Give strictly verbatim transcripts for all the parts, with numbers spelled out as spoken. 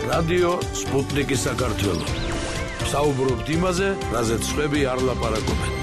რადიო სპუტნიკი საქართველოს. საუბრობთ იმაზე, რაზეც სხვები არ ლაპარაკობენ.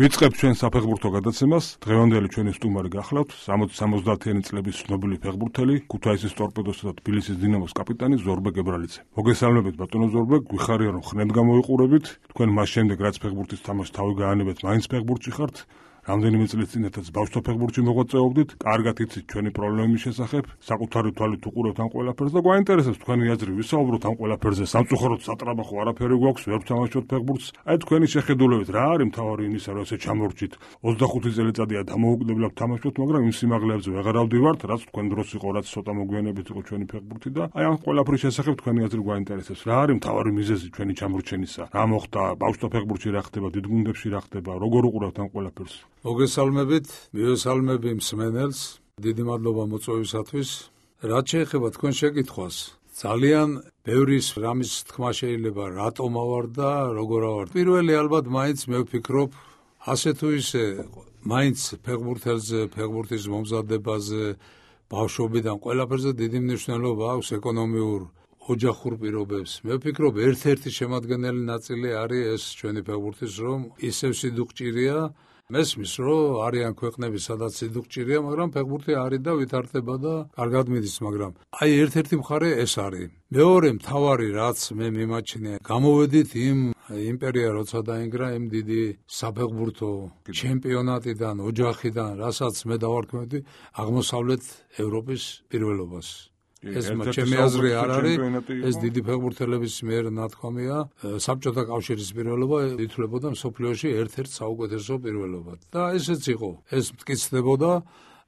ვიწყებთ ჩვენ საფეხბურთო გადაცემას. დღევანდელი ჩვენი სტუმარი გახლავთ სამოცი სამოცდაათიანი წლების ცნობილი ფეხბურთელი, ქუთაისის ტორპედოსა და თბილისის დინამოს კაპიტანი ზორბე გებრალიძე. მოგესალმებით ბატონო ზორბე, გვიხარია რომ ხნედ გამოიყურებით. თქვენ მას შემდეგ რაც ფეხბურთის თამაშს თავი გაანებეთ, მაინც ფეხბურთში ხართ. რამდენიმე წლის წინათაც ბავშვთა ფეხბურთში მოღვაწეობდით, კარგად იცით ჩვენი პრობლემების შესახებ, საკუთარი თვალით უყურებთ ამ ყველაფერს და გვაინტერესებს თქვენი აზრი, ვისაუბროთ ამ ყველაფერზე. სამწუხაროდ სატრაბახო არაფერი გვაქვს, ვერ ვთამაშობთ ფეხბურთს. აი თქვენი შეხედულებით რა არის მთავარი იმისა, რომ ესე ჩამორჩით? ოცდახუთი წელიწადია დამოუკიდებლად თამაშობთ, მაგრამ იმ სიმაღლეებზე ვეღარ ავდივართ, რაც თქვენ დროს იყო, რაც ცოტა მოგვიანებით იყო ჩვენი ფეხბურთი და აი ამ ყველაფრის შესახებ თქვენი აზრი გვაინტერესებს. რა არის მთავარი მიზეზი ჩვენი ჩამორჩენისა? რა მოხდა ბავშვთა ფეხბურთში, რა ხდება დიდ გუნდებში, რა ხდება? როგორ უყურებთ ამ ყველაფერს? მოგესალმებით, მივესალმები მსმენელს, დიდი მადლობა მოწვევისათვის. რაც შეეხება თქვენ შეკითხვას, ძალიან ბევრი რამის თქმა შეიძლება რატომ ავარ და როგორ ავარ. პირველი ალბათ მაინც მე ვფიქრობ, ასე თუ ისე მაინც ფეხბურთელზე, ფეხბურთის მომზადებაზე, ბავშვობიდან ყველაფერზე დიდი მნიშვნელობა აქვს ეკონომიურ ოჯახურ პირობებს. მე ვფიქრობ, ერთ-ერთი შემადგენელი ნაწილი არის ეს ჩვენი ფეხბურთის, რომ ისევ სიდუხჭირია. მესმის, რომ არიან ქვეყნები, სადაც სიდუხჭირია, მაგრამ ფეხბურთი არის და ვითარდება და კარგად მიდის, მაგრამ აი ერთ-ერთი მხარე ეს არის. მეორე მთავარი, რაც მე მიმაჩნია, გამოვედით იმ იმპერია, როცა დაინგრა იმ დიდი საფეხბურთო ჩემპიონატიდან, ოჯახიდან, რასაც მე დავარქმევდი აღმოსავლეთ ევროპის პირველობას. ეს ჩემი აზრი არ არის, ეს დიდი ფეხბურთელების მიერ ნათქვამია, საბჭოთა კავშირის პირველობა ითვლებოდა მსოფლიოში ერთ-ერთ საუკეთესო პირველობად. და ესეც იყო, ეს მტკიცდებოდა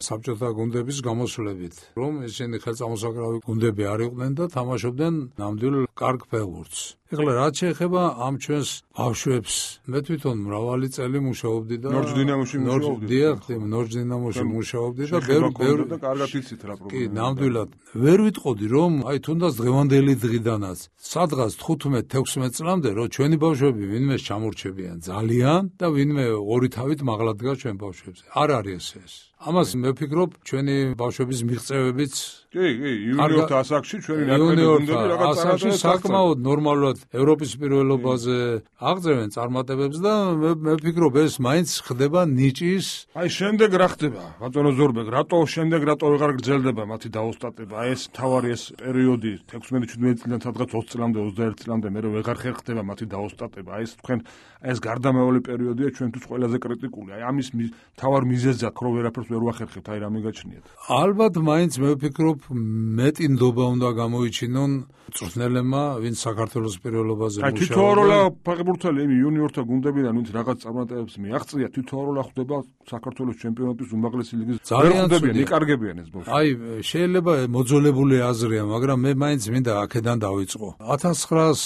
საბჭოთა გუნდების გამოსვლებით, რომ ისინი ხელწამოსაკრავი გუნდები არ იყვნენ და თამაშობდნენ ნამდვილ კარგ ფეხბურთს. ეხლა რაც შეეხება ამ ჩვენს ბავშვებს, მე თვითონ მრავალი წელი მუშაობდი და ნორჩ დინამოში მუშაობდი. დიახ, ნორჩ დინამოში მუშაობდი და ბევრი ბევრი და კარგად იცით რა პრობლემა. კი, ნამდვილად. ვერ ვიტყოდი რომ აი თუნდაც დღევანდელი დღიდანაც სადღაც თხუთმეტ თექვსმეტ წლამდე რომ ჩვენი ბავშვები ვინმე ჩამორჩებიან ძალიან და ვინმე ორი თავით მაღლა დგას ჩვენ ბავშვებზე. არ არის ეს. ამას მე ვფიქრობ, ჩვენი ბავშვების მიღწევებიც კი, კი, იუნიორთა ასაკში ჩვენი ნაკრები გუნდები რაღაც ასაკში საკმაოდ ნორმალურად ევროპის პირველობაზე აღწევენ წარმატებებს და მე ვფიქრობ, ეს მაინც ხდება ნიჭის. აი შემდეგ რა ხდება? ბატონო ზორბე, რატო შემდეგ რატო ვეღარ გრძელდება მათი დაოსტატება? აი ეს თავარი ეს პერიოდი თექვსმეტ შვიდმეტ წლიდან სადღაც ოცი წლამდე, ოცდაერთი წლამდე მე ვეღარ ხერხდება მათი დაოსტატება. აი ეს თქვენ ეს გარდამავალი პერიოდია ჩვენთვის ყველაზე კრიტიკული. აი ამის თავარ მიზეზად რო ვერაფერს ვერ ვახერხებთ, აი რა მიგაჩნიათ? ალბათ მაინც მე ვფიქრობ, მეტი ნდობა უნდა გამოიჩინონ მწვრთნელებმა, ვინც საქართველოს პირველობაზე მუშაობენ. აი თითოეულა ფეხბურთელი იმ იუნიორთა გუნდებიდან, ვინც რაღაც წარმატებებს მიაღწია, თითოეულა ხდება საქართველოს ჩემპიონატის უმაღლესი ლიგის. ძალიან ხდებიან, იკარგებიან ეს ბავშვები. აი შეიძლება მოძოლებული აზრია, მაგრამ მე მაინც მინდა აქედან დავიწყო. ათას ცხრაას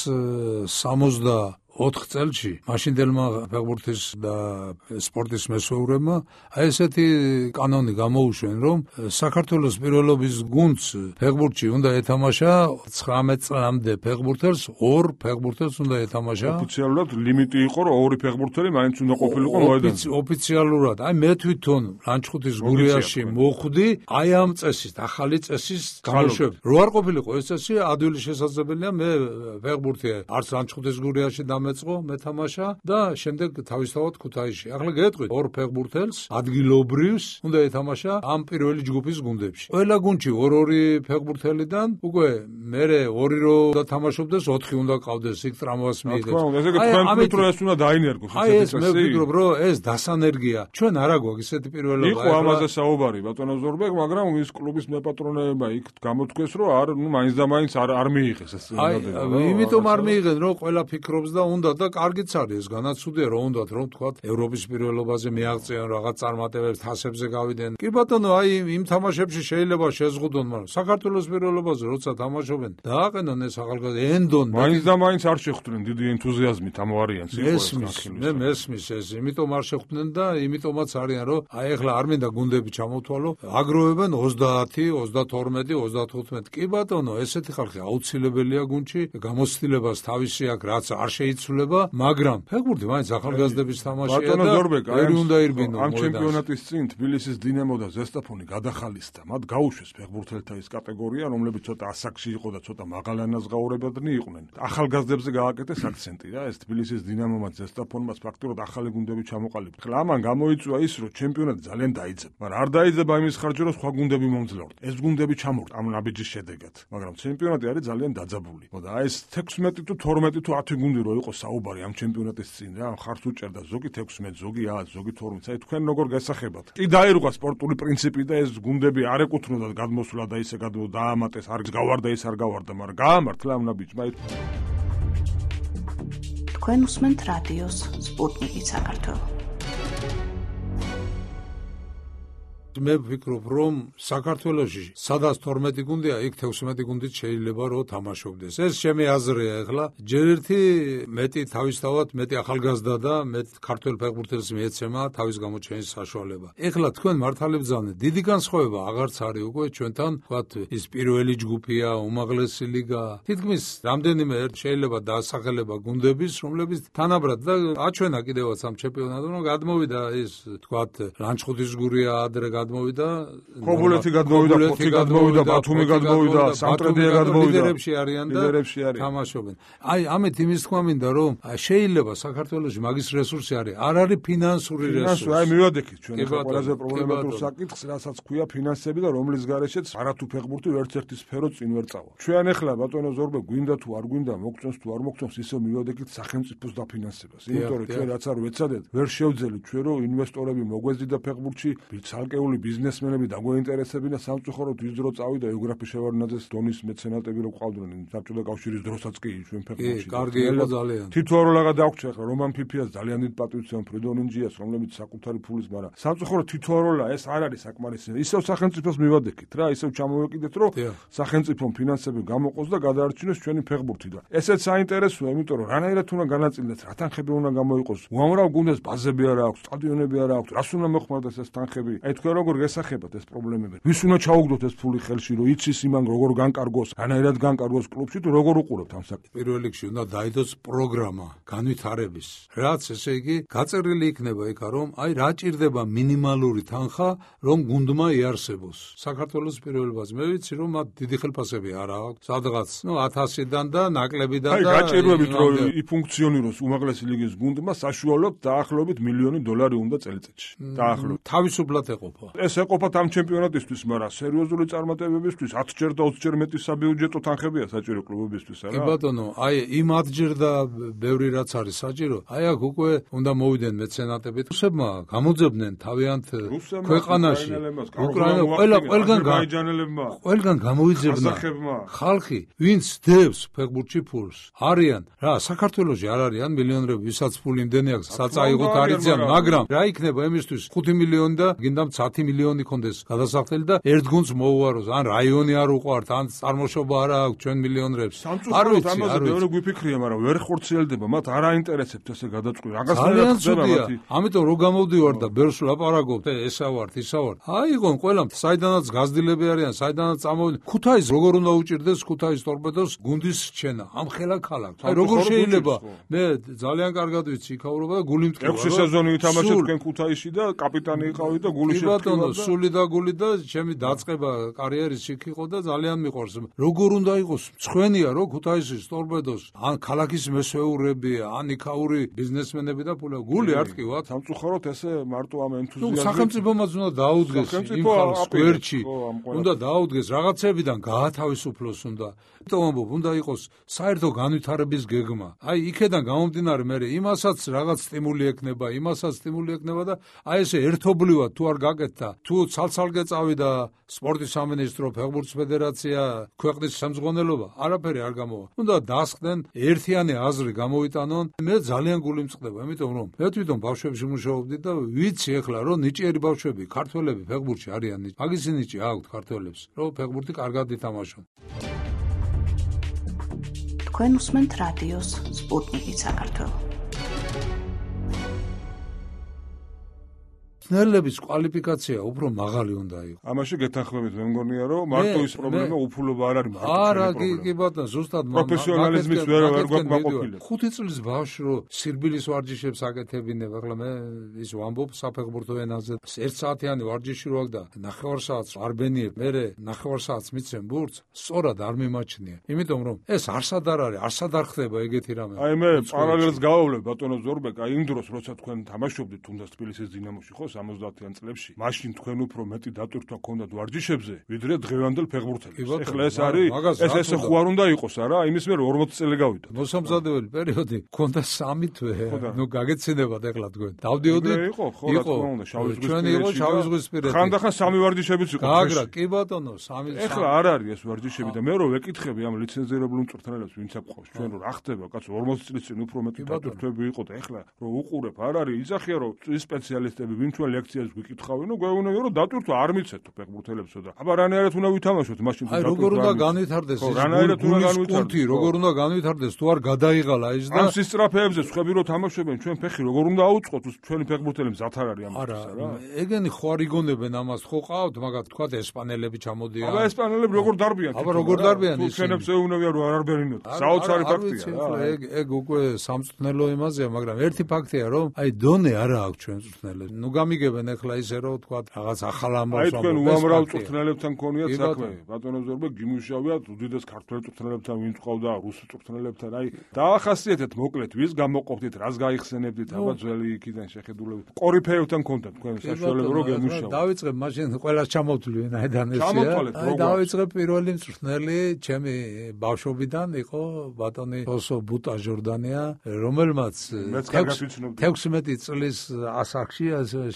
სამოცდა ოთხ წელში მაშინდელმა ფეხბურთის და სპორტის მესვეურებმა აი ესეთი კანონი გამოუშვენ, რომ საქართველოს პირველობის გუნდს ფეხბურთში უნდა ეთამაშა ცხრამეტ წლამდე ფეხბურთელს ორ ფეხბურთელს უნდა ეთამაშა. ოფიციალურად ლიმიტი იყო, რომ ორი ფეხბურთელი მაინც უნდა ყოფილიყო მოედანზე. ოფიციალურად. აი მე თვითონ ლანჩხუთის გურიაში მოხვდი, აი ამ წესის, ახალი წესის გამოშვებით. რო არ ყოფილიყო ეს წესი, ადვილი შესაძლებელია მე ფეხბურთი არც ლანჩხუთის გურიაში მეწყო მეთამაშა და შემდეგ თავისთავად ქუთაისში. ახლა გეტყვით, ორ ფეხბურთელს ადგილობრივს უნდა ეთამაშა ამ პირველი ჯგუფის გუნდებში. ყველა გუნდში ორ-ორი ფეხბურთელიდან უკვე მერე ორი რო და თამაშობდეს, ოთხი უნდა ყავდეს, იქ ტრამვას მიიღებს. ესე იგი თქვენ ვფიქრობთ, რომ ეს უნდა დაინერგოს ესეთი წესი? აი ეს მე ვფიქრობ, რომ ეს დასანერგია. ჩვენ არა გვაქვს ესეთი პირველობა. იყო ამაზე საუბარი ბატონო ზორბე, მაგრამ ის კლუბის მეპატრონეება იქ გამოთქვეს, რომ არ ნუ მაინც და მაინც არ არ მიიღეს ეს ზოგადად. აი იმიტომ არ მიიღენ, რომ ყველა ფიქრობს და უნდა და კარგიც არის ეს განაცუდია რომ უნდათ რომ თქვა ევროპის პირველობაზე მიაღწიონ რაღაც წარმატებებს თასებზე გავიდნენ. კი ბატონო, აი იმ თამაშებში შეიძლება შეზღუდონ, მაგრამ საქართველოს პირველობაზე როცა თამაშობენ დააყენონ ეს ახალგაზრდა ენდონ მაინც და მაინც არ შეხვდნენ დიდი ენთუზიაზმით ამ ვარიანტს. მე მესმის ეს, იმიტომ არ შეხვდნენ და იმიტომაც არიან რომ აი ახლა არ მინდა გუნდები ჩამოთვალო, აგროვებენ ოცდაათი, ოცდათორმეტი, ოცდათხუთმეტი. კი ბატონო, ესეთი ხალხი აუცილებელია გუნდში, გამოცდილებას თავისი აქვს, რაც არ შეიცვალა იცვლება, მაგრამ ფეხბურთი მაინც ახალგაზრდების თამაშია ბატონო და ზორბეკ, ვერ უნდა ირბინო. ამ ჩემპიონატის წინ თბილისის დინამო და ზესტაფონი გადახალისდა. მათ გაუშვეს ფეხბურთელთა ის კატეგორია, რომლებიც ცოტა ასაკში იყო და ცოტა მაღალ ანაზღაურებადნი იყვნენ. ახალგაზრდებზე გააკეთეს აქცენტი რა, ეს თბილისის დინამომაც ზესტაფონმაც ფაქტურად ახალი გუნდები ჩამოყალიბდა. ხლა ამან გამოიწვია ის, რომ ჩემპიონატი ძალიან დაიძება, მაგრამ არ დაიძება იმის ხარჯზე, რომ სხვა გუნდები მომძლავრდ. ეს გუნდები ჩამორთ ამ ნაბიჯის შედეგად, მაგრამ ჩემპიონატი არის ძალიან დაძაბული. და აი ეს თექვსმეტი თუ თორმეტი თუ ათი გუნდი რო იყო საუბარი ამ ჩემპიონატის წინ რა, ხარს უჭერდა ზოგი თექვსმეტი, ზოგი ათი, ზოგი თორმეტი. აი თქვენ როგორ გასახებათ? კი დაირღვა სპორტული პრინციპი და ეს გუნდები არ ეკუთვნოდათ გადმოსვლა და ისე გადმო დაამატეს, არ გავარდა ის არ გავარდა, მაგრამ გაამართლა ამ ნაბიჯმა. თქვენ უსმენთ რადიოს სპუტნიკი საქართველო. მე ვფიქრობ, რომ საქართველოში სადაც თორმეტი გუნდია, იქ თექვსმეტი გუნდით შეიძლება რომ თამაშობდეს. ეს ჩემი აზრია ახლა. ჯერ ერთი მეტი თავისთავად მეტი ახალგაზრდა და მეტ ქართველ ფეხბურთელს მიეცემა თავის გამოჩენის საშუალება. ახლა თქვენ მართალებს დიდი განსხვავება აღარც არის უკვე ჩვენთან, ვთქვათ, ის პირველი ჯგუფია, უმაღლესი ლიგა. თითქმის რამდენიმე შეიძლება დაასახელება გუნდების, რომლებიც თანაბრად და აჩვენა კიდევაც ამ ჩემპიონატზე, რომ გადმოვიდა ის, ვთქვათ, ლანჩხუთის გურია ადრე გადმოვიდა, ქობულეთი გადმოვიდა, ფოთი გადმოვიდა, ბათუმი გადმოვიდა, სამტრედია გადმოვიდა. ლიდერებში არიან და თამაშობენ. აი, ამით იმის თქვა მინდა, რომ შეიძლება საქართველოში მაგის რესურსი არის, არ არის ფინანსური რესურსი. აი, მივადექით ჩვენ ახლა ყველაზე პრობლემატურ საკითხს, რასაც ქვია ფინანსები და რომლის გარეშეც არათუ ფეხბურთი ვერცერთი სფერო წინ ვერ წავა. ჩვენ ახლა ბატონო ზორბე გვინდა თუ არ გვინდა, მოგწონს თუ არ მოგწონს, ისევ მივადექით სახელმწიფოს დაფინანსებას. იმიტომ რომ ჩვენ რაც არ ვეცადეთ, ვერ შევძელით ჩვენ რომ ინვესტორები მოგვეზიდა ფეხბურთში, ცალკეული ბიზნესმენები დაგვეინტერესებინა სამწუხაროდ ის დრო წავიდა იოგრაფი შევარდნაძეს დონის მეცენატები რო ყავდნენ საბჭოთა კავშირის დროსაც კი ჩვენ ფეხბურთში. კი, კარგი იყო ძალიან. თითოეულაღა დაგვჭირა ახლა რომან ფიფიას ძალიან დიდ პატივცემ ფრიდონ ინჯიას, რომლებიც საკუთარი ფულის, მაგრამ სამწუხაროდ თითოეულა ეს არ არის საკმარისი. ისევ სახელმწიფოს მივადექით რა, ისევ ჩამოვეკიდეთ რომ სახელმწიფომ ფინანსები გამოყოს და გადაარჩინოს ჩვენი ფეხბურთი და ესეც საინტერესოა, იმიტომ რომ რანაირად უნდა განაწილდეს, რა თანხები უნდა გამოიყოს. უამრავ გუნდეს ბაზები არ აქვს, სტადიონები არ აქვს, რას უნდა მოხმარდეს ეს თანხები. აი თქვენ როგორ გესახებათ ეს პრობლემები? ვის უნდა ჩაუგდოთ ეს ფული ხელში, რომ იცის იმან როგორ განკარგოს, რანაირად განკარგოს კლუბში თუ როგორ უყურებთ ამ საკითხს? პირველ რიგში უნდა დაიდოს პროგრამა განვითარების, რაც ესე იგი გაწერილი იქნება იქა, რომ აი რა ჭირდება მინიმალური თანხა, რომ გუნდმა იარსებოს. საქართველოს პირველ ბაზაზე მე ვიცი, რომ მათ დიდი ხელფასები არ აქვს, სადღაც, ნუ ათასიდან და ნაკლებიდან და აი გაჭირვებით რომ იფუნქციონიროს უმაღლესი ლიგის გუნდმა საშუალოდ დაახლოებით მილიონი დოლარი უნდა წელიწადში. დაახლოებით თავისუფლად ეყოფა. ეს ეყოფათ ამ ჩემპიონატისთვის, მაგრამ სერიოზული წარმატებებისთვის ათჯერ და ოცჯერ მეტი საბიუჯეტო თანხებია საჭირო კლუბებისთვის, არა? კი ბატონო, აი იმ ათჯერ და ბევრი რაც არის საჭირო, აი აქ უკვე უნდა მოვიდნენ მეცენატები. რუსებმა გამოძებდნენ თავიანთ ქვეყანაში. უკრაინა ყველა ყველგან ყველგან გამოიძებნა ხალხი, ვინც დევს ფეხბურთში ფულს. არიან რა, საქართველოში არ არიან მილიონერები, ვისაც ფული იმდენი აქვს, საწაიღოთ არიციან, მაგრამ რა იქნება იმისთვის ხუთი მილიონი და გინდამ ათი მილიონი კონდეს გადასახდელი და ერთ გუნდს მოუაროს, ან რაიონი არ უყვართ, ან წარმოშობა არ აქვს ჩვენ მილიონერებს. არ ვიცი, ამაზე მეორე გვიფიქრია, მაგრამ ვერ ხორციელდება, მათ არ აინტერესებთ ესე გადაწყვეტა. რაღაცნაირად ხდება მათი. ამიტომ რო გამოვდივარ და ბერს ვლაპარაკობ, ესა ვართ, ისა ვართ. აიღონ ყველამ, საიდანაც გაზრდილები არიან, საიდანაც წამოვიდნენ. ქუთაისს როგორ უნდა უჭირდეს ქუთაის ტორპედოს გუნდის რჩენა ამ ხელა ქალაქს. აი როგორ შეიძლება? მე ძალიან კარგად ვიცი იქაურობა და გული მტკივა. ექვსი სეზონი ვითამაშეთ თქვენ ქუთაისში და კაპიტანი იყავით და გული შეფრთხილდა. ბატონო, სული და გული და ჩემი დაწყება კარიერის იქ იყო და ძალიან მიყვარს. როგორ უნდა იყოს? მწვენია რომ ქუთაისის ტორპედოს ან ქალაქის მესვეურები, ან იქაური ბიზნესმენები და ფულა გული არ ტკივათ. სამწუხაროდ ესე მარტო ამ ენთუზიაზმით. სახელმწიფომაც უნდა დაუდგეს იმ ხალხს გვერდში. უნდა დაუდგეს რაღაცებიდან გაათავისუფლოს უნდა. იმიტომ ამბობ, უნდა იყოს საერთო განვითარების გეგმა. აი იქედან გამომდინარე მე იმასაც რაღაც სტიმული ექნება, იმასაც სტიმული ექნება და აი ესე ერთობლივად თუ არ გაკეთდა, თუ ცალ-ცალკე წავიდა სპორტის სამინისტრო, ფეხბურთის ფედერაცია, ქვეყნის სამზღვანელობა, არაფერი არ გამოვა. უნდა დასხდნენ ერთიანი აზრი გამოვიტანონ. მე ძალიან გული მწყდება, იმიტომ რომ მე თვითონ ბავშვებში მუშაობდი და ვიცი ახლა რომ ნიჭიერი ბავშვები, ქართველები ფეხბურთში არიან. მაგის ნიჭი აქვთ ქართველებს, რომ ფეხბურთი კარგად ითამაშონ. თქვენ უსმენთ რადიოს სპუტნიკი საქართველო. მწვრთნელების კვალიფიკაცია უფრო მაღალი უნდა იყოს. ამაში გეთანხმებით მე მგონია რომ მარტო ის პრობლემა უფულობა არ არის მარტო არა კი ბატონო ზუსტად პროფესიონალიზმის ვერ ვერ გვაქვს მაყოფილი. ხუთი წლის ბავშვი რო სირბილის ვარჯიშებს აკეთებინებ, ახლა მე ის ვამბობ საფეხბურთო ენაზე ერთ საათიანი ვარჯიში რო აქვს და ნახევარ საათს არ ბენიებ, მერე ნახევარ საათს მიცემ ბურთს, სწორად არ მიმაჩნია. იმიტომ რომ ეს არსად არ არის, არსად არ ხდება ეგეთი რამე. აი მე პარალელს გავავლებ ბატონო ზორბეკ, აი იმ დროს როცა თქვენ თამაშობდით თუნდაც თბილისის დინამოში ხო სამოცდაათიან წლებში, მაშინ თქვენ უფრო მეტი დატვირთვა გქონდათ ვარჯიშებზე, ვიდრე დღევანდელ ფეხბურთელებს. ეხლა ეს არის ეს ესე ხო არ უნდა იყოს არა? იმის მერე ორმოცი წელი გავიდა. მოსამზადებელი პერიოდი გქონდა სამი თვე. ნუ გაგეცინებათ ეხლა თქვენ. დავდიოდით. იყო ხო რა თქმა უნდა შავი ზღვის ჩვენი იყო შავი ზღვის პირები. ხანდახან სამი ვარჯიშებიც იყო. გაგრა კი ბატონო სამი. ეხლა არ არის ეს ვარჯიშები და მე რო ვეკითხები ამ ლიცენზირებულ მწვრთნელებს ვინც აკყვავს ჩვენ რო რა ხდება კაცო ორმოცი წლის წინ უფრო მეტი დატვირთვები იყო და ეხლა რო უყურებ არ არის იძახია რომ ის სპეციალისტები ვინც ჩვენ ლექციებს ვიკითხავენ ნუ გვეუბნებიან რომ დატვირთვა არ მიცეთო ფეხბურთელებსო და აბა რანაირად უნდა ვითამაშოთ მაშინ თუ დატვირთვა როგორ უნდა განვითარდეს ეს რანაირად უნდა განვითარდეს როგორ უნდა განვითარდეს თუ არ გადაიღალა ის და ამ სისწრაფეებზე ხვები რო თამაშობენ ჩვენ ფეხი როგორ უნდა აუწყოთ ჩვენი ფეხბურთელები ზათ არ არის ამას არა ეგენი ხო არ იგონებენ ამას ხო ყავთ მაგათ თქვა ესპანელები ჩამოდიან აბა ესპანელები როგორ დარბიან აბა როგორ დარბიან ისინი ჩვენებს ეუბნებიან რომ არ არბერინოთ საოცარი ფაქტია ეგ ეგ უკვე სამწვრთნელო იმაზეა მაგრამ ერთი ფაქტია რომ აი დონე არა აქვს ჩვენ მწვრთნელებს ნუ გამიგებენ ახლა ისე რომ თქვა რაღაც ახალ ამბავს აი თქვენ უამრავ მწვრთნელებთან გქონიათ საქმე ბატონო ზორბე გიმუშავიათ უდიდეს ქართველ მწვრთნელებთან ვინც ყავდა რუს მწვრთნელებთან აი დაახასიათეთ მოკლედ ვის გამოყოფდით რას გაიხსენებდით აბა ძველი იქიდან შეხედულებით კორიფეებთან გქონდათ თქვენ საშუალება რომ გემუშავოთ დავიწყებ მაშინ ყველას ჩამოვთვლი ვინაიდან ესეა აი დავიწყებ პირველი მწვრთნელი ჩემი ბავშვობიდან იყო ბატონი ოსო ბუტა ჟორდანია რომელმაც თექვსმეტი წლის ასაკში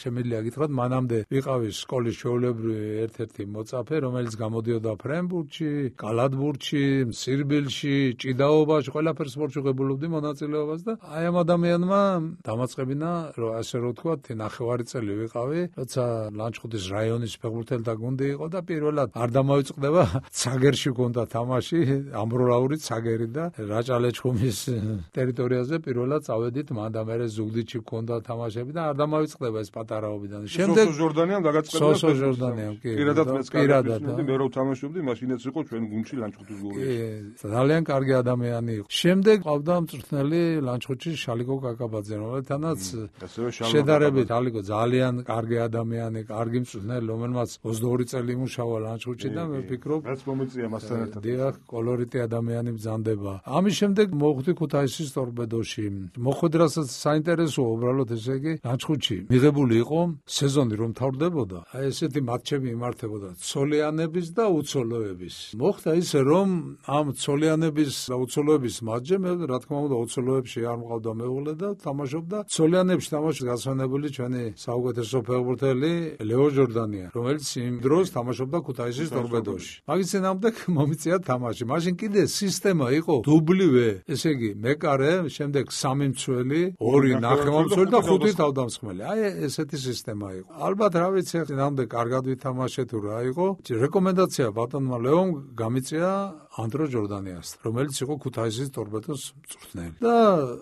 შემიძლია გითხრათ მანამდე ვიყავი სკოლის ჩვეულებრივი ერთ-ერთი მოწაფე რომელიც გამოდიოდა ფრენბურთში, კალათბურთში, სირბილში, ჭიდაობაში, ყველაფერს სპორტში ღებულობდი მონაწილეობას და აი ამ ადამიანმა დამაწყებინა რომ ასე რომ ვთქვათ ნახევარი წელი ვიყავი, როცა ლანჩხუთის რაიონის ფეხბურთელთა გუნდი იყო და პირველად არ დამოიწყდება ცაგერში გქონდა თამაში, ამბროლაური ცაგერი და რაჭალეჩხუმის ტერიტორიაზე პირველად წავედით მან და მერე ზუგდიდში გქონდა თამაშები და არ დამოიწყდება ეს პატარაობიდან. შემდეგ სოსო ჟორდანიამ დაგაწყებინა სოსო ჟორდანიამ კი პირადად მეც კარგად მე რო თამაშობდი მაშინაც იყო ჩვენ გუნდში ლანჩხუთის გუნდში. ძალიან კარგი ადამიანი იყო. შემდეგ ყავდა მწვრთნელი ლანჩხუთში შალიკო კაკაბაძე რომელთანაც შედარებით ალიკო ძალიან კარგი ადამიანი, კარგი მწვრთნელი რომელმაც ოცდაორი წელი იმუშავა ლანჩხუთში და მე ვფიქრობ რაც მომიწია მასთან ერთად. დიახ, კოლორიტი ადამიანი ბრძანდება. ამის შემდეგ მოხვდი ქუთაისის ტორპედოში. მოხვედრასაც საინტერესოა უბრალოდ ესე იგი ლანჩხუთში მიღებული იყო სეზონი რომ თავდებოდა. აი ესეთი მატჩები იმართებოდა ცოლიანების და უცოლოების. მოხდა ისე რომ ამ ცოლიანების და უცოლოების მატჩზე მე რა თქმა უნდა უცოლოებში არ მყავდა მეუღლე და თამაშობდა ცოლიანებში თამაშობდა გასვენებული ჩვენი საუკეთესო ფეხბურთელი ლეო ჟორდანია რომელიც იმ დროს თამაშობდა ქუთაისის ტორპედოში. მაგის წინამდე მომიწია თამაში. მაშინ კიდე სისტემა იყო დუბლივე, ესე იგი მეკარე, შემდეგ სამი მცველი, ორი ნახევარმცველი და ხუთი თავდამსხმელი. აი ესეთი სისტემა იყო. ალბათ რა ვიცი, წინამდე კარგად ვითამაშე თუ რა იყო. რეკომენდაცია ბატონმა ლეომ გამიწია ანდრო ჟორდანიას, რომელიც იყო ქუთაისის ტორპედოს მწვრთნელი. და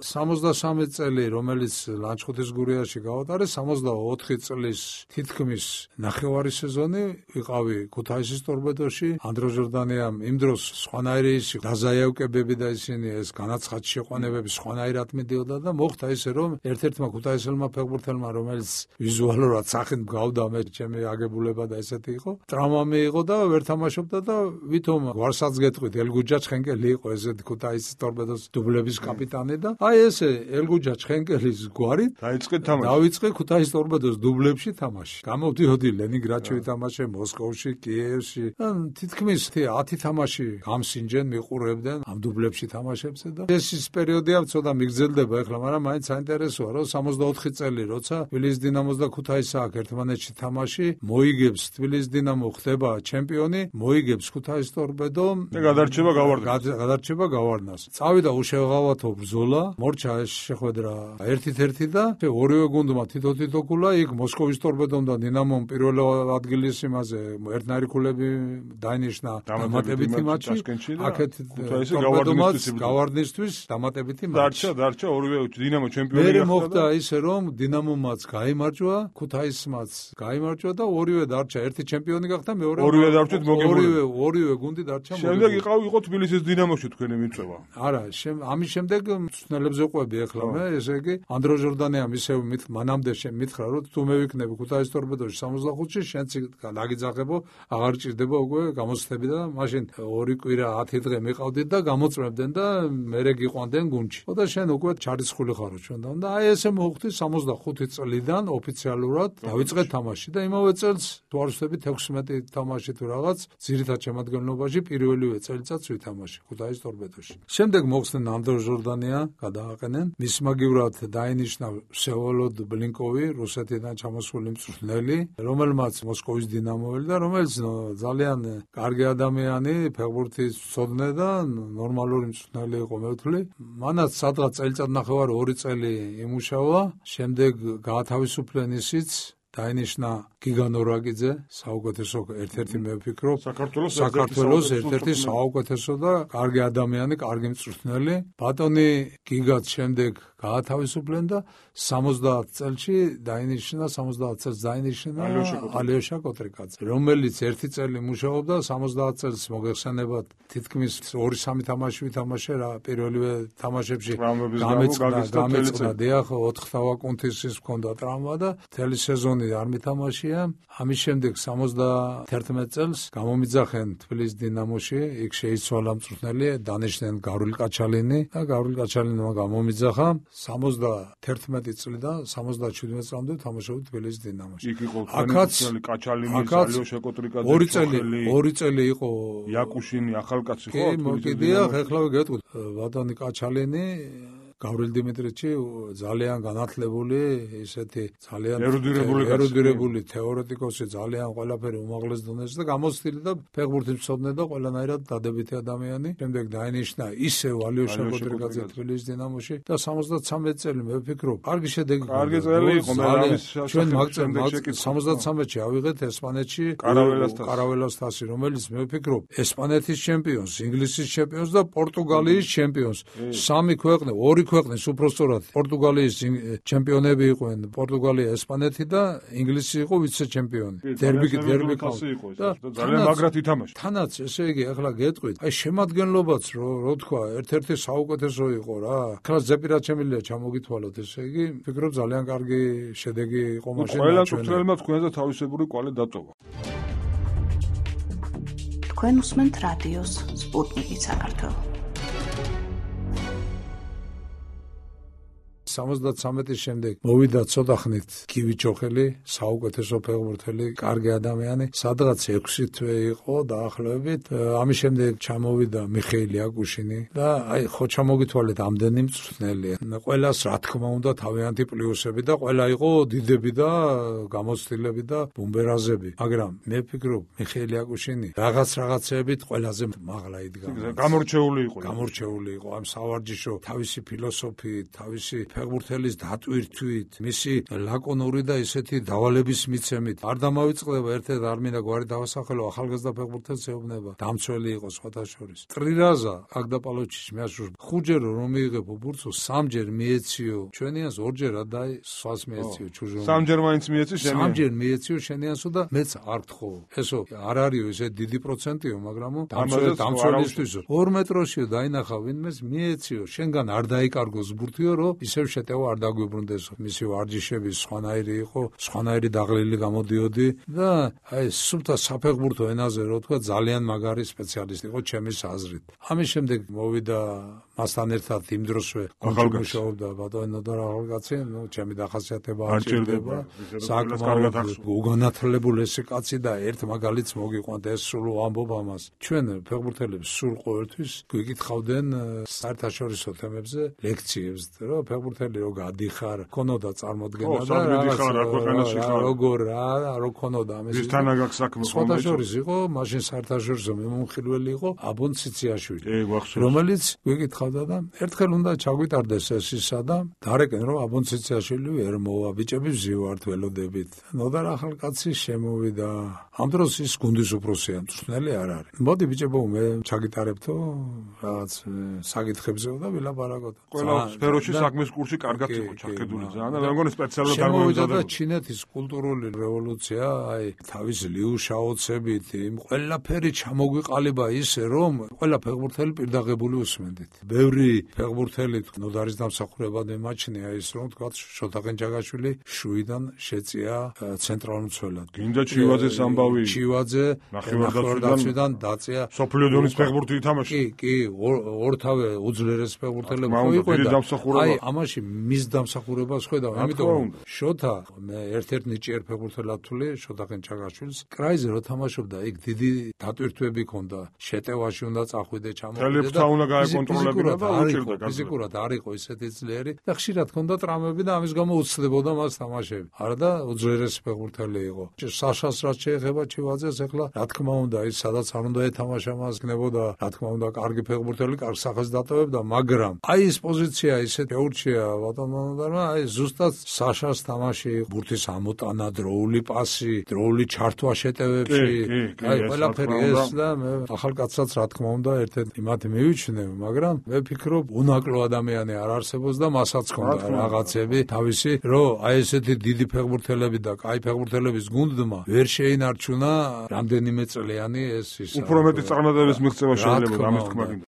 სამოცდასამი წელი, რომელიც ლანჩხუთის გურიაში გავატარე, სამოცდაოთხი წლის თითქმის ნახევარი სეზონი ვიყავი ქუთაისის ტორპედოში. ანდრო ჟორდანიამ იმ დროს სხვანაირი ის დაზაიავკებები და ისინი ეს განაცხად შეყვანებები სხვანაირად მიდიოდა და მოხდა ისე რომ ერთ-ერთმა ქუთაისელმა ფეხბურთელმა რომელიც ვიზუალურად სახით გავდა მე ჩემი აგებულება და ესეთი იყო ტრაუმა მიიღო და ვერ თამაშობდა და ვითომ გვარსაც გეტყვით ელგუჯა ჩხენკელი იყო ესეთი ქუთაისის ტორპედოს დუბლების კაპიტანი და აი ესე ელგუჯა ჩხენკელის გვარით დაიწყე თამაში დავიწყე ქუთაისის ტორპედოს დუბლებში თამაში გამოვდიოდი ლენინგრადში ვითამაშე მოსკოვში კიევში თითქმის ათი თამაში გამსინჯენ მიყურებდნენ ამ დუბლებში თამაშებზე და ეს ის პერიოდია ცოტა მიგრძელდება ახლა მაგრამ მაინც საინტერესოა რომ სამოცდაოთხი წელი როცა თბილისის დინამოს და ქუთაისის აქ ერთმანეთში თამაში მოიგებს თბილისის დინამო ხდება ჩემპიონი მოიგებს ქუთაისის ტორპედო და გადარჩება გავარდნას გადარჩება გავარდნას წავიდა უშეღავათო ბრძოლა მორჩა ეს შეხვედრა ერთ-ერთი და ორივე გუნდმა თითო-თითო ქულა იქ მოსკოვის ტორპედომ და დინამომ პირველ ადგილის იმაზე ერთნაირი ქულები დაინიშნა დამატებითი მატჩი აქეთ ტორპედომაც გავარდნისთვის დამატებითი მატჩი დარჩა დარჩა ორივე დინამო ჩემპიონი გახდა მე მოხდა ისე რომ დინამომაც გაიმარჯვა გაიმარჯვა, ქუთაისმაც გაიმარჯვა და ორივე დარჩა, ერთი ჩემპიონი გახდა, მეორე ორივე დარჩეთ მოგებული. ორივე ორივე გუნდი დარჩა მოგებული. შემდეგ იყავ იყო თბილისის დინამოში თქვენი მიწვევა. არა, ამის შემდეგ მწვრთნელებზე ყვები ახლა მე, ესე იგი ანდრო ჟორდანიამ ისევ მით მანამდე შემითხრა, რომ თუ მე ვიქნები ქუთაის ტორპედოში სამოცდახუთში, შენც დაგიძახებო, აღარ ჭირდება უკვე გამოცდები და მაშინ ორი კვირა ათი დღე მიყავდით და გამოწმებდნენ და მერე გიყვანდნენ გუნდში. და შენ უკვე ჩარიცხული ხარო ჩვენთან და აი ესე მოხდი სამოცდახუთი წლიდან ოფიციალურად დავიწყე თამაში და იმავე წელს თუ არ ვსწრებით ექვსმეტი თამაში თუ რაღაც ძირითად შემადგენლობაში პირველივე წელიწადს ვითამაში ქუთაის ტორპედოში. შემდეგ მოხსნენ ანდრო ჟორდანია, გადააყენენ. მის მაგივრად დაინიშნა ვსევოლოდ ბლინკოვი, რუსეთიდან ჩამოსული მწვრთნელი, რომელმაც მოსკოვის დინამოველი და რომელიც ძალიან კარგი ადამიანი, ფეხბურთის მცოდნე და ნორმალური მწვრთნელი იყო მე ვთვლი. მანაც სადღაც წელიწად ნახევარი ორი წელი იმუშავა, შემდეგ გაათავისუფლენ ისიც დაინიშნა გიგან ორაგიძე, საუკეთესო ერთ-ერთი მე ვფიქრობ, საქართველოს საქართველოს ერთ-ერთი საუკეთესო და კარგი ადამიანი, კარგი მწვრთნელი. ბატონი გიგაც შემდეგ გაათავისუფლენ და სამოცდაათ წელში დაინიშნა, სამოცდაათ წელს დაინიშნა ალიოშა კოტრიკაძე, რომელიც ერთი წელი მუშაობდა, სამოცდაათ წელს მოგეხსენებათ, თითქმის ორი სამი თამაში ვითამაშე რა, პირველივე თამაშებში გამეწყდა, გამეწყდა, დიახ, ოთხთავა კუნთისის მქონდა ტრავმა და მთელი სეზონი არ მითამაშია. ამის შემდეგ სამოცდაათერთმეტ წელს გამომიძახენ თბილისის დინამოში, იქ შეიცვალა მწვრთნელი, დანიშნენ გავრილ კაჩალინი და გავრილ კაჩალინმა გამომიძახა. სამოცდაათერთმეტი წლიდან სამოცდაჩვიდმეტ წლამდე თამაშობდა თბილისის დინამოში. იქ იყო მწვრთნელი კაჩალინი, ალიოშა კოტრიკაძე, ორი წელი, ორი წელი იყო იაკუშინი, ახალკაცი ხო? კი, მოკიდია, ეხლა გეტყვით. ბატონი კაჩალინი გავრილ დიმიტრიჩი ძალიან განათლებული, ისეთი ძალიან ერუდირებული თეორეტიკოსი, ძალიან ყველაფერი უმაღლეს დონეზე და გამოცდილი და ფეხბურთის მცოდნე და ყველანაირად დადებითი ადამიანი. შემდეგ დაინიშნა ისევ ალიოშა კოტრიკაძე თბილისის დინამოში და სამოცდათვრამეტ წელი მე ვფიქრობ, კარგი შედეგი. კარგი წელი იყო, მე ამის ჩვენ სამოცდათვრამეტში ავიღეთ ესპანეთში კარაველას თასი, რომელიც მე ვფიქრობ, ესპანეთის ჩემპიონს, ინგლისის ჩემპიონს და პორტუგალიის ჩემპიონს. სამი ქვეყნი, ორი ქვეყნის უпростоრად პორტუგალიის ჩემპიონები იყვნენ, პორტუგალია, ესპანეთი და ინგლისი იყო ვიცე-ჩემპიონი. დერბი დერბი იყო და ძალიან მაგრად ითამაშა. თანაც ესე იგი ახლა გეტყვით, აი შემადგენლობაც რო რო თქვა, ერთ-ერთი საუკეთესო იყო რა. ახლა ზეპირად შემიძლია ჩამოგითვალოთ, ესე იგი, ვფიქრობ ძალიან კარგი შედეგი იყო მაშინ. ყველა მწვრთნელმა თქვენზე თავისებური კვალე დატოვა. თქვენ უსმენთ რადიოს სპუტნიკი საქართველოს. სამოცდათვრამეტის შემდეგ მოვიდა ცოტა ხნით კივიჩოხელი, საუკეთესო ფეხბურთელი, კარგი ადამიანი, სადღაც ექვსი თვე იყო დაახლოებით. ამის შემდეგ ჩამოვიდა მიხეილ იაკუშინი და აი ხო ჩამოგითვალეთ ამდენი მწვრთნელია. ყველას რა თქმა უნდა თავიანთი პლუსები და ყველა იყო დიდები და გამოცდილები და ბუმბერაზები, მაგრამ მე ვფიქრობ მიხეილ იაკუშინი რაღაც რაღაცეებით ყველაზე მაღლა იდგა. გამორჩეული იყო. გამორჩეული იყო ამ სავარჯიშო თავისი ფილოსოფიით, თავისი ფეხბურთელის დატვირთვით, მისი ლაკონური და ისეთი დავალების მიცემით. არ დამავიწყდება ერთ-ერთ არ მინდა გვარი დავასახელო, ახალგაზრდა ფეხბურთელს ეუბნება. დამცველი იყო სხვათა შორის. ტრირაზა აგდაპალოჩიჩი მეაშურს ხუჯერ რომ მიიღებო ბურთო, სამჯერ მიეციო. ჩვენიანს ორჯერ დაი სხვას მიეციო ჩუჟო. სამჯერ მაინც მიეციო შენიან. სამჯერ მიეციო შენიანსო და მეც არ გთხოვ. ესო არ არისო ესე დიდი პროცენტიო, მაგრამ დამცველი დამცველისთვისო. ორ მეტროშიო დაინახა ვინმეს მიეციო. შენგან არ დაიკარგოს ბურთიო, რომ ისევ შეტევა არ დაგვიბრუნდეს. მისი ვარჯიშები სხვანაირი იყო, სხვანაირი დაღლილი გამოდიოდი და აი სულთა საფეხბურთო ენაზე რო თქვა ძალიან მაგარი სპეციალისტი იყო ჩემის აზრით. ამის შემდეგ მოვიდა მასთან ერთად იმ დროსვე მუშაობდა ბატონი ნოდარ ახალკაცი, ნუ ჩემი დახასიათება არ ჭირდება. საკმაოდ უგანათლებული ესე კაცი და ერთ მაგალითს მოგიყვანთ, ეს სულ ვამბობ ამას. ჩვენ ფეხბურთელებს სულ ყოველთვის გვიკითხავდნენ საერთაშორისო თემებზე ლექციებს, რომ ფეხბურთელი რო გადიხარ, ქონოდა წარმოდგენა და რაღაცა როგორ რა, რო ქონოდა ამის. ვისთანა გაქვს საქმე ხოლმე. საერთაშორისო იყო, მაშინ საერთაშორისო მომხილველი იყო აბონ ციციაშვილი, რომელიც გვიკითხავდა და ერთხელ უნდა ჩაგვიტარდეს ეს ისა და დარეკენ რომ აბონ ციციაშვილი ვერ მოვა, ბიჭები ვზივართ ველოდებით. ნოდარ ახალკაცი შემოვიდა. ამ დროს ის გუნდის უფროსია, მწვრთნელი არ არის. მოდი ბიჭებო, მე ჩაგიტარებთო რაღაც საკითხებზეო და ვილაპარაკოთ. ყველა სფეროში საქმის კურსი ფეხბურთში კარგად იყო ჩახედული ძალიან და მეგონი სპეციალურად არ შემოვიდა და მოემზადებოდა. ჩინეთის კულტურული რევოლუცია, აი, თავის ლიუშაოცებით, იმ ყველაფერი ჩამოგვიყალიბა ისე, რომ ყველა ფეხბურთელი პირდაღებული უსმენდით. ბევრი ფეხბურთელი ნოდარის დამსახურებად მიმაჩნია ის, რომ თქვა შოთა ყენჯაგაშვილი შუიდან შეწია ცენტრალურ მცველად. გინდა ჩივაძეს ამბავი. ჩივაძე ნახევარდაცვიდან დაწია. სოფლიო დონის ფეხბურთი ითამაშა. კი, კი, ორთავე უძლიერეს ფეხბურთელები ხო იყვნენ. აი, ამაში მის დამსახურებას ხედავ, ამიტომ შოთა მე ერთ-ერთ ნიჭიერ ფეხბურთელად თვლი შოთა ყენჯაგაშვილს. კრაიზე რო თამაშობდა, იქ დიდი დატვირთვები ჰქონდა, შეტევაში უნდა წახვიდე, ჩამოვიდე და უნდა გაეკონტროლებინა და უჭირდა გაზრდა. ფიზიკურად არ იყო ისეთი ძლიერი და ხშირად ჰქონდა ტრამვები და ამის გამო უცდებოდა მას თამაშები. არა და უძლიერესი ფეხბურთელი იყო. საშას რაც შეეხება ჩივაძეს, ახლა რა თქმა უნდა, ის სადაც არ უნდა ეთამაშა მას გნებოდა, რა თქმა უნდა, კარგი ფეხბურთელი, კარგ სახეს დატოვებდა, მაგრამ აი ეს პოზიცია ისეთ ეურჩია ბატონმა, აი ზუსტად საშას თამაში, ბურთის ამოტანა, დროული პასი, დროული ჩართვა შეტევებში, აი ყველაფერი ეს და მე ახალკაცსაც რა თქმა უნდა ერთ-ერთ იმათ მივიჩნევ, მაგრამ მე ვფიქრობ, უნაკლო ადამიანი არ არსებობს და მასაც ჰქონდა რაღაცები თავისი, რომ აი ესეთი დიდი ფეხბურთელები და კაი ფეხბურთელების გუნდმა ვერ შეინარჩუნა რამდენიმე წლიანი ეს ის. უფრო მეტი წარმატებების მიღწევა შეიძლება ამის თქმა გინდა.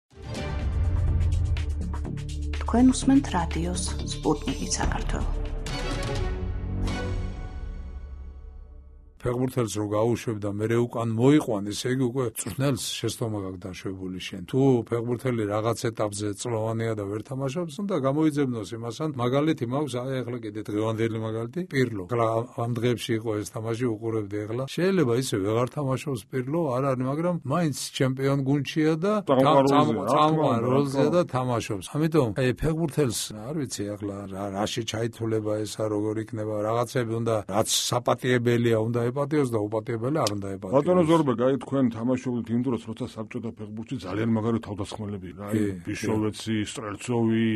თქვენ უსმენთ რადიოს სპუტნიკი საქართველო. ფეხბურთელს რო გაუშვებ და მე უკან მოიყვან, ესე იგი უკვე წვრთნელს შეცდომა გაქვს დაშვებული შენ. თუ ფეხბურთელი რაღაც ეტაპზე წლოვანია და ვერ თამაშობს, უნდა გამოიძებნოს იმასთან. მაგალითი მაქვს, აი ახლა კიდე დღევანდელი მაგალითი, პირლო. ახლა ამ დღეებში იყო ეს თამაში, უყურებდი ახლა. შეიძლება ისე ვეღარ თამაშობს პირლო, არ არის, მაგრამ მაინც ჩემპიონ გუნდშია და წამყვან როლზეა და თამაშობს. ამიტომ აი ფეხბურთელს არ ვიცი ახლა რაში ჩაითვლება ესა, როგორ იქნება, რაღაცები უნდა, რაც საპატიებელია, უნდა ეპატიოს და უპატიებელი არ უნდა ეპატიოს. ბატონო ზორბეგ, აი თქვენ თამაშობთ იმ დროს, როცა საბჭოთა ფეხბურთში ძალიან მაგარი თავდასხმელები რა, აი ბიშოვეცი, სტრელცოვი,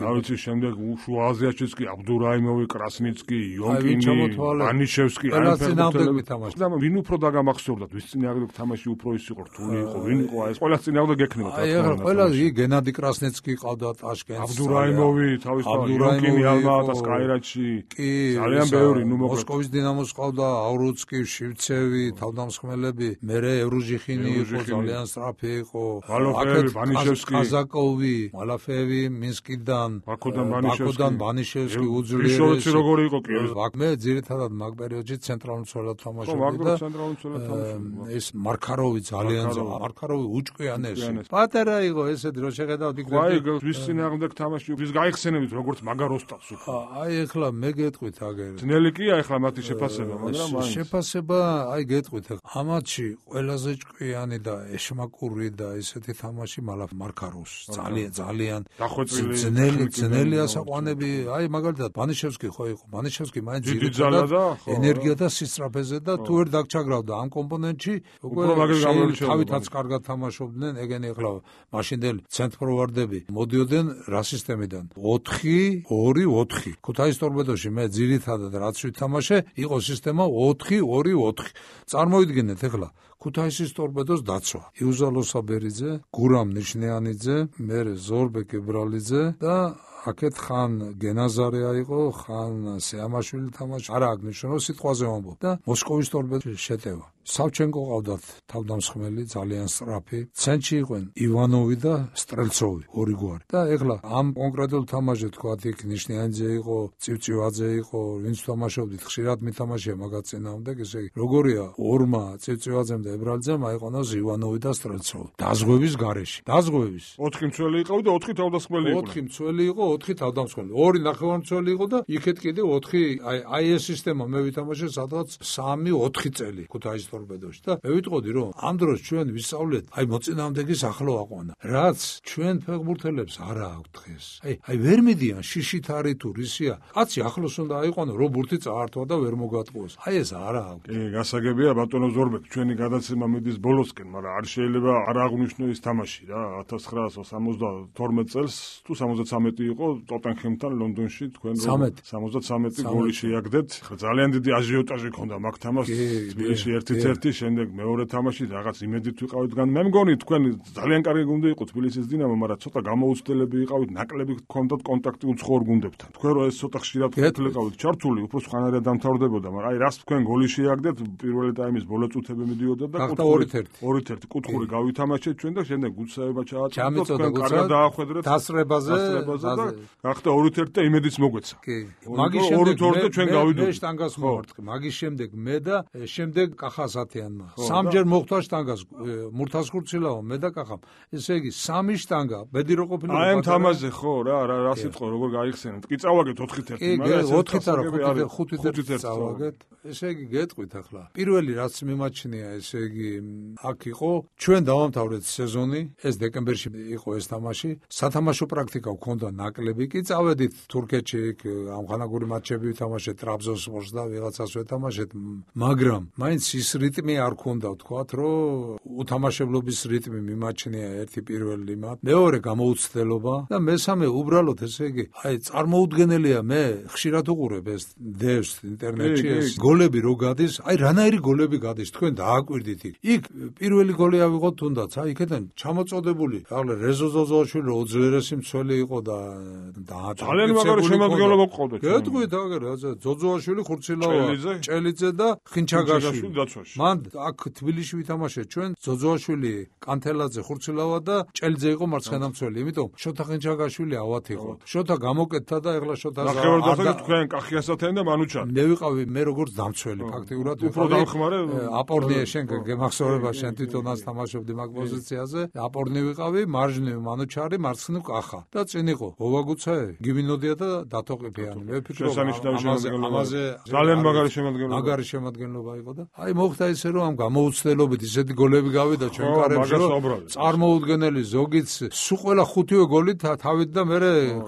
რა ვიცი, შემდეგ შუა აზიაშიც კი აბდურაიმოვი, კრასნიცკი, იონკინი, ბანიშევსკი, აი ფეხბურთელები თამაშობდნენ. და ვინ უფრო დაგამახსოვრდათ, ვის წინააღმდეგ თამაში უფრო ის იყო რთული იყო, ვინ იყო აი ეს ყველა წინააღმდეგ ექნება თქმა. აი ახლა ყველა ი გენადი კრასნიცკი ყავდა ტაშკენტში. აბდურაიმოვი, თავის იონკინი ალმატას კაირატში. ძალიან ბევრი, ნუ მოკლედ. მოსკოვის დინამოს ყავდა აურუცკი, შივცევი, თავდამსხმელები, მერე ევრუჟიხინი იყო, ძალიან სწრაფი იყო. მალოფეევი, ბანიშევსკი, კაზაკოვი, მალაფეევი, მინსკიდან, ბაკოდან ბანიშევსკი უძლიერესი. ბიშოვეცი როგორი იყო კი? მე ძირითადად მაგ პერიოდში ცენტრალურ მცველად თამაშობდი და ეს მარკაროვი ძალიან ძლიერი, მარკაროვი უჭკვიანესი. პატარა იყო ესეთი, რომ შეხედავდი იქ. აი, ვის წინააღმდეგ თამაში, ვის გაიხსენებით როგორც მაგარ ოსტატს უკვე. აი ახლა მე გეტყვით აგერ. ძნელი კი ახლა მათი შეფასება, მაგრამ შეფასება, აი გეტყვით, ამათში ყველაზე ჭკვიანი და ეშმაკური და ესეთი თამაში მარკაროვს. ძალიან ძალიან ძნელი ძნელი ასაყვანები, აი მაგალითად ბანიშევსკი ხო იყო, ბანიშევსკი მაინც ძირითადად ენერგია და სისწრაფეზე და თუ ვერ დაგჩაგრავდა ამ კომპონენტში, უკვე თავითაც კარგად თამაშობდნენ, ეგენი ახლა მაშინდელი ცენტრფორვარდები მოდიოდნენ რა სისტემიდან? ოთხი ორი ოთხი. ქუთაისის ტორპედოში მე ძირითადად რაც ვითამაშე, იყო სისტემა ოთხი ორი ოთხი. წარმოიდგინეთ ახლა ქუთაისის ტორპედოს დაცვა. იუზალო საბერიძე, გურამ ნიშნიანიძე, მერე ზორბეკ ებრალიძე და აქეთ ხან გენაზარე იყო, ხან სეამაშვილი თამაში. არა აღნიშნო სიტყვაზე ვამბობ და მოსკოვის ტორპედოში შეტევა. სავჩენკო ყავდათ თავდამსხმელი, ძალიან სწრაფი. ცენტრში იყვნენ ივანოვი და სტრელცოვი, ორი გვარი. და ეხლა ამ კონკრეტულ თამაშზე თქვათ იქ ნიშნიანიძე იყო, წივწივაძე იყო, ვინც თამაშობდით, ხშირად მითამაშია მაგაც წინააღმდეგ, ესე იგი, როგორია ორმა წივწივაძემ და ებრალიძემ აიყვანოს ივანოვი და სტრელცოვი. დაზღვევის გარეშე. დაზღვევის. ოთხი მცველი იყო და ოთხი თავდამსხმელი იყო. ოთხი მცველი იყო, ოთხი თავდამსხმელი. ორი ნახევარმცველი იყო და იქეთ კიდე ოთხი, აი აი ეს სისტემა მე ვითამაშე სადღაც სამი ოთხი წელი ქუთაისის ტორპედოში და მე ვიტყოდი რომ ამ დროს ჩვენ ვისწავლეთ აი მოწინააღმდეგის ახლო აყვანა რაც ჩვენ ფეხბურთელებს არა აქვთ დღეს აი აი ვერ მიდიან შიშით არის თუ რისია კაცი ახლოს უნდა აიყვანო რომ ბურთი წაართვა და ვერ მოგატყუოს აი ეს არა აქვთ კი გასაგებია ბატონო ზორბეკ ჩვენი გადაცემა მიდის ბოლოსკენ მაგრამ არ შეიძლება არ აღნიშნო ის თამაში რა ათას ცხრაასა სამოცდათორმეტ წელს თუ სამოცდათრამეტი იყო ტოტენჰემთან ლონდონში თქვენ სამოცდათრამეტი გოლი შეაგდეთ ძალიან დიდი აჟიოტაჟი ჰქონდა მაგ თამაშს თბილისში ერთი ერთ-ერთი, შემდეგ მეორე თამაში რაღაც იმედით ვიყავით გან. მე მგონი თქვენ ძალიან კარგი გუნდი იყო თბილისის დინამო, მაგრამ ცოტა გამოუცდელები იყავით, ნაკლები გქონდათ კონტაქტი უცხოურ გუნდებთან. თქვენ რო ეს ცოტა ხშირად ხეთლიყავით ჩართული, უფრო სხვანაირად დამთავრდებოდა, მაგრამ აი რას თქვენ გოლი შეაგდეთ, პირველი ტაიმის ბოლო წუთები მიდიოდა და ორით ერთი კუთხური გავითამაშეთ ჩვენ და შემდეგ გუცაება ჩააწოდოთ, თქვენ კარგად დაახვედრეთ დასრებაზე და გახდა ორით ერთი და იმედიც მოგვეცა. კი. მაგის შემდეგ ჩვენ გავიდოდით. მე შტანგას მოვარტყი. მაგის შემდეგ მე და შემდეგ კახასათიანმა. სამჯერ მოხდა შტანგას მურთას ხურცილაო მე და კახამ. ესე იგი სამი შტანგა ბედი რო ყოფილა. აი ამ თამაზე ხო რა რა რა სიტყვა როგორ გაიხსენეთ. კი წავაგეთ ოთხით ერთი, მაგრამ ოთხით არა ხუთით ერთი წავაგეთ. ესე იგი გეტყვით ახლა. პირველი რაც მიმაჩნია, ესე იგი აქ იყო ჩვენ დავამთავრეთ სეზონი, ეს დეკემბერში იყო ეს თამაში. სათამაშო პრაქტიკა გქონდა ნაკლები, კი წავედით თურქეთში, ამხანაგური მატჩები ვითამაშეთ, ტრაბზონსპორს და ვიღაცას ვეთამაშეთ, მაგრამ მაინც ის რიტმი არ ქონდა, ვთქვათ, რომ უთამაშებლობის რიტმი მიმაჩნია ერთი პირველი მათ, მეორე გამოუცდელობა და მესამე უბრალოდ ესე იგი, აი წარმოუდგენელია, მე ხშირად უყურებ ეს დევს ინტერნეტში ეს გოლები რო გადის, აი რანაირი გოლები გადის, თქვენ დააკვირდით იქ. იქ პირველი გოლი ავიღოთ თუნდაც, აი იქიდან ჩამოწოდებული, ახლა რეზო ზოზოაშვილი უძლიერესი მცველი იყო და ძალიან მაგარი შემადგენლობა გყავდა. გეტყვით აგერ, ზოზოაშვილი, ხურცილავა, ჭელიძე და ხინჩაგაშვილი დაცვაში. მან აქ თბილისში ვითამაშეთ ჩვენ, ზოზოაშვილი, კანთელაძე, ხურცილავა და ჭელიძე იყო მარცხენა მცველი, იმიტომ შოთა ხინჩაგაშვილი ავად იყო. შოთა გამოკეთდა და ეხლა შოთა ნახევარდაცვაში თქვენ კახიასათიანი და მანუჩანი. მე ვიყავი მე როგორც დამცველი ფაქტიურად უფრო დამხმარე აპორნია შენ გემახსოვრება შენ თვითონაც თამაშობდი მაგ პოზიციაზე. აპორნი ვიყავი, მარჯვნივ მანუჩარი, მარცხნივ კახა და წინ იყო ვოვაგუცაე, გიმინოდია და დათოყიფიანი. მე ვფიქრობ ამაზე ძალიან მაგარი შემადგენლობა. მაგარი შემადგენლობა იყო და აი მოხდა ისე რომ ამ გამოუცდელობით ისეთი გოლები გავიდა ჩვენ კარებში რომ წარმოუდგენელი ზოგიც სულ ყველა ხუთივე გოლი თავით და მე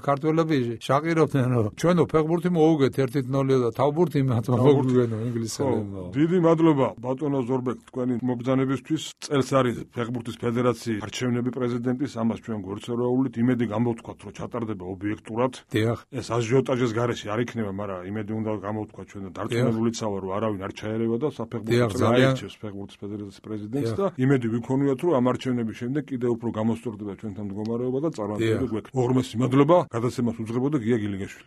ქართველები შაყირობდნენ რომ ჩვენო ფეხბურთი მოუგეთ ერთი ნული და თავბურთი მათმა მოგვიგენო ინგლისელებმა. დიდი მადლობა ბატონო ზორბეკ თქვენი მობრძანებისთვის. წელს არის ფეხბურთის ფედერაციის არჩევნები პრეზიდენტის, ამას ჩვენ გვერდსერვაულით იმედი გამოვთქვათ რომ ჩატარდება ობიექტურად. დიახ. ეს აჟიოტაჟის გარეშე არ იქნება, მაგრამ იმედი უნდა გამოვთქვათ ჩვენ და დარწმუნებულიცავ რომ არავინ არ ჩაერევა და საფეხბურთო აირჩევს ფეხბურთის ფედერაციის პრეზიდენტს და იმედი ვიქონიათ რომ ამ არჩევნების შემდეგ კიდევ უფრო გამოსწორდება ჩვენთან მდგომარეობა და წარმატებები გვექნება. უღრმესი მადლობა გადაცემას უძღებოდა გია გილინგაშვილი.